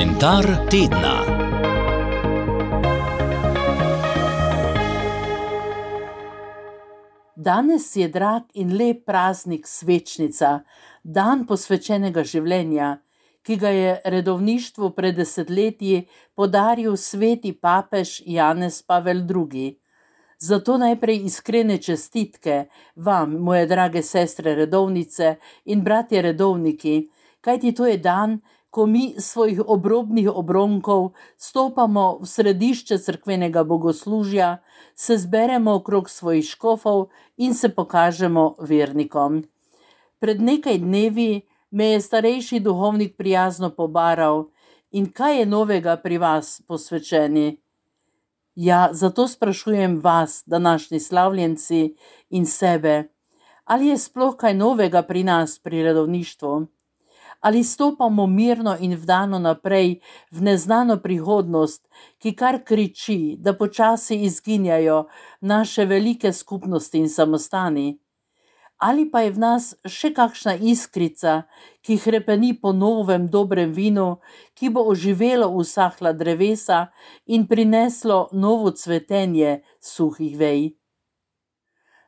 Komentar tedna. Danes je drag in lep praznik svečnica, dan posvečenega življenja, ki ga je redovništvu pred desetletji podaril sveti papež Janez Pavel II. Zato najprej iskrene čestitke vam, moje drage sestre redovnice in bratje redovniki, kajti to je dan, ko mi svojih obrobnih obronkov stopamo v središče cerkvenega bogoslužja, se zberemo okrog svojih škofov in se pokažemo vernikom. Pred nekaj dnevi me je starejši duhovnik prijazno pobaral: in kaj je novega pri vas, posvečeni? Ja, zato sprašujem vas, današnji slavljenci, in sebe, ali je sploh kaj novega pri nas pri redovništvu? Ali stopamo mirno in vdano naprej v neznano prihodnost, ki kar kriči, da počasi izginjajo naše velike skupnosti in samostani? Ali pa je v nas še kakšna iskrica, ki hrepeni po novem dobrem vinu, ki bo oživelo usahla drevesa in prineslo novo cvetenje suhih vej?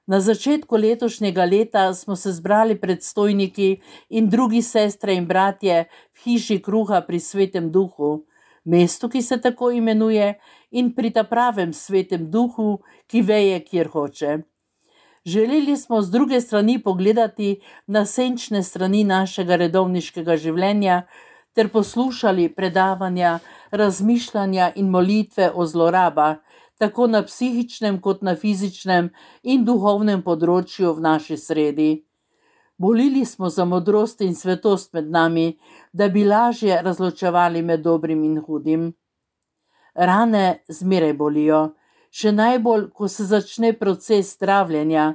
Na začetku letošnjega leta smo se zbrali predstojniki in drugi sestre in bratje v hiši kruha pri Svetem Duhu, mestu, ki se tako imenuje, in pri ta pravem Svetem Duhu, ki veje, kjer hoče. Želeli smo z druge strani pogledati na senčne strani našega redovniškega življenja ter poslušali predavanja, razmišljanja in molitve o zlorabah, tako na psihičnem kot na fizičnem in duhovnem področju v naši sredi. Molili smo za modrost in svetost med nami, da bi lažje razločevali med dobrim in hudim. Rane zmeraj bolijo, še najbolj, ko se začne proces zdravljenja,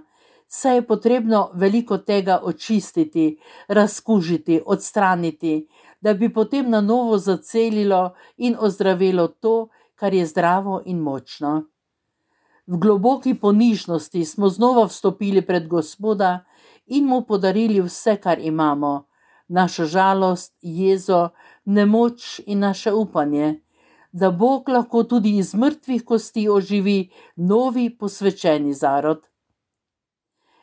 saj je potrebno veliko tega očistiti, razkužiti, odstraniti, da bi potem na novo zacelilo in ozdravilo to, kar je zdravo in močno. V globoki ponižnosti smo znova vstopili pred Gospoda in mu podarili vse, kar imamo, našo žalost, jezo, nemoč in naše upanje, da Bog lahko tudi iz mrtvih kosti oživi novi posvečeni zarod.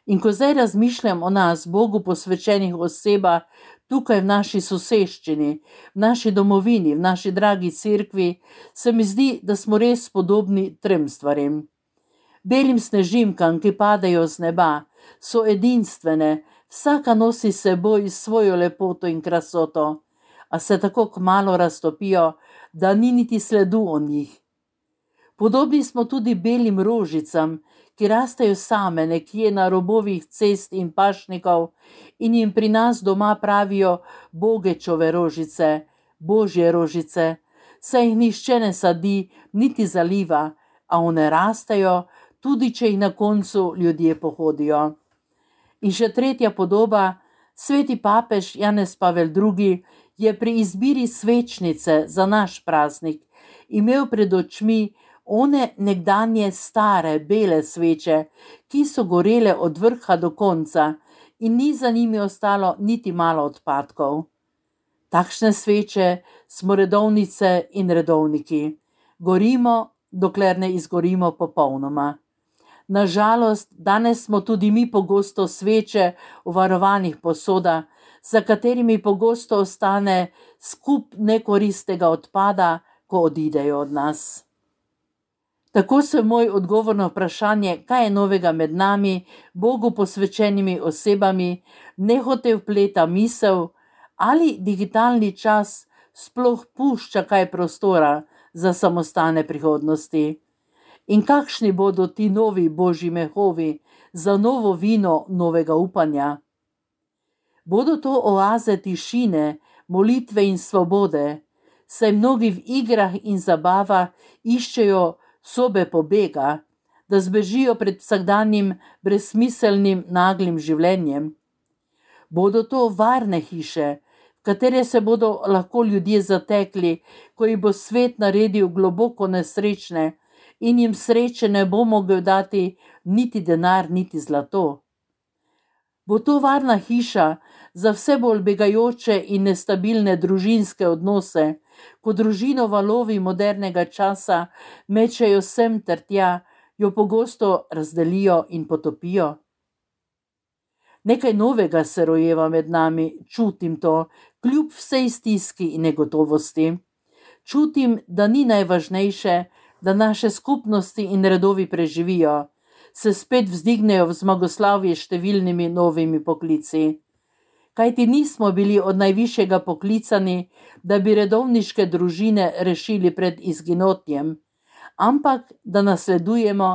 In ko zdaj razmišljam o nas, Bogu posvečenih osebah, tukaj v naši soseščini, v naši domovini, v naši dragi cerkvi, se mi zdi, da smo res podobni trem stvarem. Belim snežimkam, ki padajo z neba, so edinstvene, vsaka nosi s seboj svojo lepoto in krasoto, a se tako kmalu raztopijo, da ni niti sledu o njih. Podobni smo tudi belim rožicam, ki rastejo same nekje na robovih cest in pašnikov in jim pri nas doma pravijo Bogečove rožice, Božje rožice, saj jih nihče ne sadi niti zaliva, a one rastejo, tudi če jih na koncu ljudje pohodijo. In še tretja podoba, sveti papež Janez Pavel II. Je pri izbiri svečnice za naš praznik imel pred očmi one nekdanje stare bele sveče, ki so gorele od vrha do konca in ni za njimi ostalo niti malo odpadkov. Takšne sveče smo redovnice in redovniki. Gorimo, dokler ne izgorimo popolnoma. Na žalost, danes smo tudi mi pogosto sveče v varovanih posodah, za katerimi pogosto ostane skup nekoristnega odpada, ko odidejo od nas. Tako se moj odgovor na vprašanje, kaj je novega med nami, Bogu posvečenimi osebami, nehote vpleta misel, ali digitalni čas sploh pušča kaj prostora za samostane prihodnosti. In kakšni bodo ti novi božji mehovi za novo vino novega upanja? Bodo to oaze tišine, molitve in svobode, saj mnogi v igrah in zabavah iščejo sobe pobega, da zbežijo pred vsakdanjim brezsmiselnim naglim življenjem. Bodo to varne hiše, v katere se bodo lahko ljudje zatekli, ko jih bo svet naredil globoko nesrečne in jim sreče ne bo mogel dati niti denar, niti zlato. Bo to varna hiša za vse bolj begajoče in nestabilne družinske odnose, ko družino valovi modernega časa mečejo sem ter tja, jo pogosto razdelijo in potopijo? Nekaj novega se rojeva med nami, čutim to, kljub vsej stiski in negotovosti. Čutim, da ni najvažnejše, da naše skupnosti in redovi preživijo, se spet vzdignejo v zmagoslavje številnimi novimi poklici. Kajti nismo bili od najvišjega poklicani, da bi redovniške družine rešili pred izginotjem, ampak da nasledujemo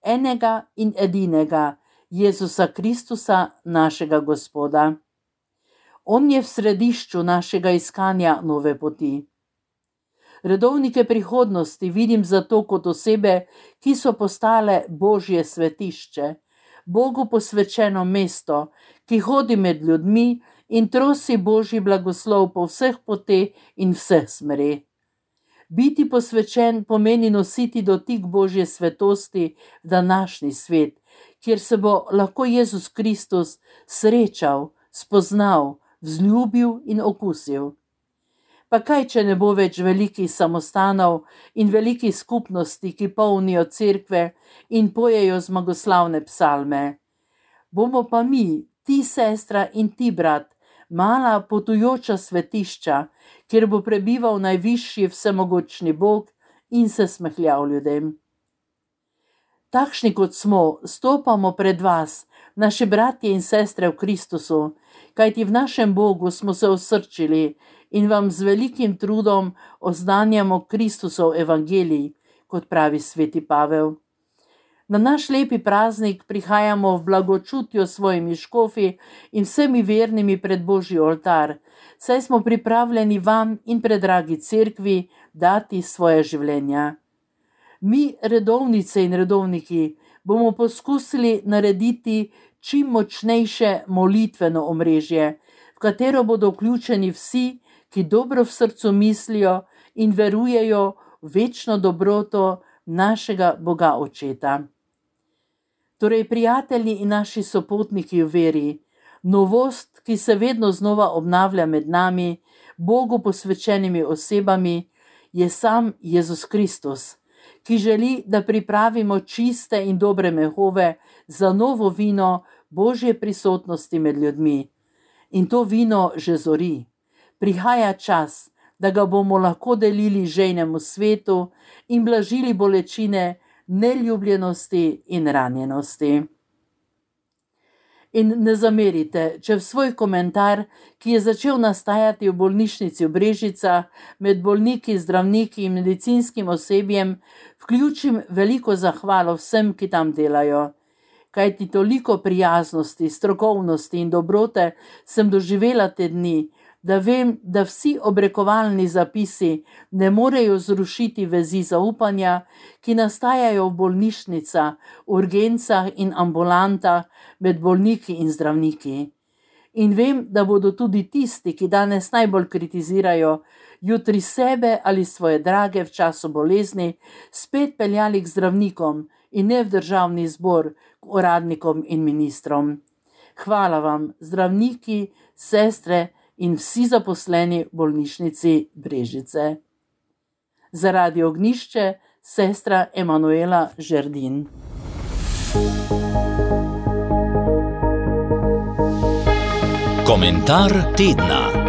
enega in edinega, Jezusa Kristusa, našega Gospoda. On je v središču našega iskanja nove poti. Redovnike prihodnosti vidim zato kot osebe, ki so postale Božje svetišče, Bogu posvečeno mesto, ki hodi med ljudmi in trosi Božji blagoslov po vseh poteh in vseh smereh. Biti posvečen pomeni nositi dotik Božje svetosti v današnji svet, kjer se bo lahko Jezus Kristus srečal, spoznal, vzljubil in okusil. Pa kaj, če ne bo več velikih samostanov in velikih skupnosti, ki polnijo cerkve in pojejo zmagoslavne psalme. Bomo pa mi, ti sestra in ti brat, mala potujoča svetišča, kjer bo prebival najvišji vsemogočni Bog in se smehljal ljudem. Takšni kot smo, stopamo pred vas, naši bratje in sestre v Kristusu, kajti v našem Bogu smo se osrčili in vam z velikim trudom oznanjamo Kristusov evangelij, kot pravi sveti Pavel. Na naš lepi praznik prihajamo v blagočutju s svojimi škofi in vsemi vernimi pred Božji oltar, saj smo pripravljeni vam in predragi cerkvi dati svoje življenja. Mi, redovnice in redovniki, bomo poskusili narediti čim močnejše molitveno omrežje, v katero bodo vključeni vsi, ki dobro v srcu mislijo in verujejo v večno dobroto našega Boga Očeta. Torej, prijatelji in naši sopotniki v veri, novost, ki se vedno znova obnavlja med nami, Bogu posvečenimi osebami, je sam Jezus Kristus, ki želi, da pripravimo čiste in dobre mehove za novo vino Božje prisotnosti med ljudmi. In to vino že zori. Prihaja čas, da ga bomo lahko delili žejnemu svetu in blažili bolečine neljubljenosti in ranjenosti. In ne zamerite, če v svoj komentar, ki je začel nastajati v bolnišnici v Brežicah, med bolniki, zdravniki in medicinskim osebjem, vključim veliko zahvalo vsem, ki tam delajo. Kajti toliko prijaznosti, strokovnosti in dobrote sem doživela te dni, da vem, da vsi obrekovalni zapisi ne morejo zrušiti vezi zaupanja, ki nastajajo v bolnišnicah, urgencah in ambulantah med bolniki in zdravniki. In vem, da bodo tudi tisti, ki danes najbolj kritizirajo, jutri sebe ali svoje drage v času bolezni, spet peljali k zdravnikom in ne v državni zbor, k uradnikom in ministrom. Hvala vam, zdravniki, sestre in vsi zaposleni v bolnišnici Brežice. Zaradi Ognjišče, sestra Emanuela Žerdin. Komentar tedna.